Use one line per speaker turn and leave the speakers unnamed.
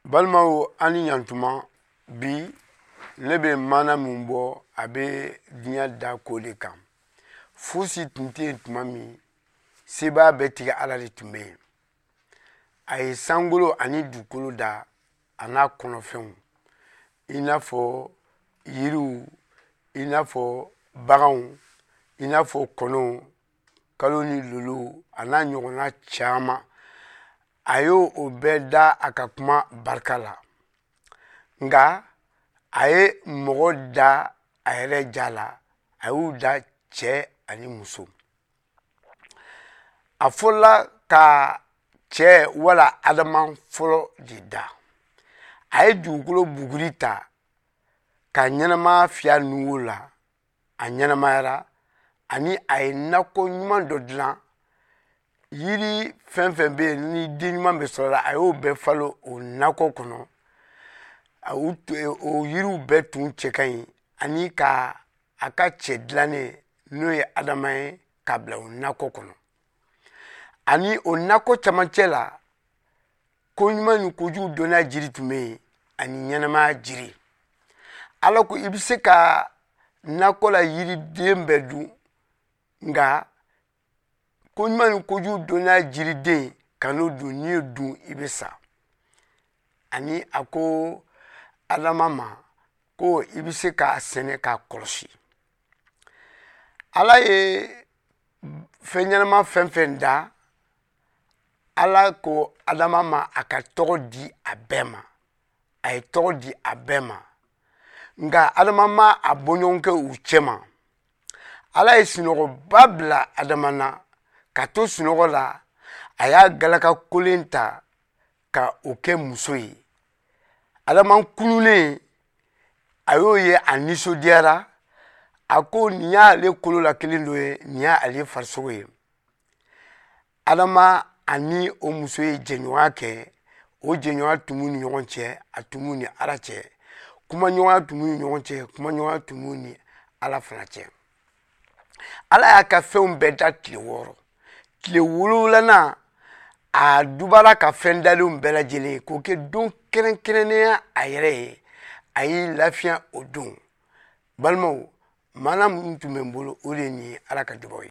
Balimaw, an ni ɲantuma. Bi ne bɛ maana min bɔ, a bɛ diɲɛ da ko de kan. Fosi tun tɛ yen tuma min, sebaa bɛɛ tigi Ala de tun bɛ yen. A ye sankolo ani dugukolo da, a n'a kɔnɔfɛnw, i n'a fɔ yiriw, i n'a fɔ baganw, i n'a fɔ kɔnɔw, kalo ni lolow, a n'a ɲɔgɔnna caman. A y'o o bɛɛ da a ka kuma barika la. Nka a ye mɔgɔ da a yɛrɛ ja la, a y'u da cɛ ani muso. A fɔlɔla ka cɛ wala Adama fɔlɔ de da. A ye dugukolo buguri ta ka ɲɛnamaya fiyɛ nunwo la, a ɲɛnamayara. Ani a ye nakɔ ɲuman dɔ dilan, yiri fɛn fɛn bɛ yen ni den ɲuman bɛ sɔrɔ la, a y'o bɛɛ falo o nakɔ kɔnɔ. O yiriw bɛɛ tun cɛ ka ɲi. Ani ka a ka cɛ dilannen, n'o ye Adama ye, k'a bila o nakɔ kɔnɔ. Ani o nakɔ camancɛ la, ko ɲuman ni kojugu dɔnniya jiri tun bɛ yen, ani ɲɛnamaya jiri. Ala ko i bɛ se ka nakɔ la yiriden bɛɛ dun, nka ko ɲuman ni kojugu dɔnniya jiriden, ka n'o dun. N'i y'o dun, i bɛ sa. Ani a ko Adama ma ko i bɛ se k'a sɛnɛ, k'a kɔlɔsi. Ala ye fɛn ɲɛnama fɛn fɛn da, Ala ko Adama ma a ka tɔgɔ di a bɛɛ ma. A ye tɔgɔ di a bɛɛ ma, nka Adama ma a bɔɲɔgɔn kɛ u cɛma. Ala ye sunɔgɔba bila Adama na. Ka to sunɔgɔ la, a y'a galaka kolen ta ka o kɛ muso ye. Adama kununnen, a y'o ye, a nisɔndiyara. A ko nin y'ale kolo la kelen dɔ ye, nin y'ale farisogo ye. Adama ani o muso ye jɛɲɔgɔnya kɛ. O jɛɲɔgɔnya tun b'u ni ɲɔgɔn cɛ, a tun b'u ni Ala cɛ. Kumaɲɔgɔnya tun b'u ni ɲɔgɔn cɛ, kumaɲɔgɔnya tun b'u ni Ala fana cɛ. Ala y'a ka fɛnw bɛɛ da tile 6. Tile 7nan, a dubara ka fɛn dalenw bɛɛ lajɛlen k'o kɛ don kɛrɛnkɛrɛnnenya a yɛrɛ ye. A y'i lafiya o don. Balimaw, maana minnu tun bɛ n bolo, o de ye nin ye. Ala ka dubaw ye.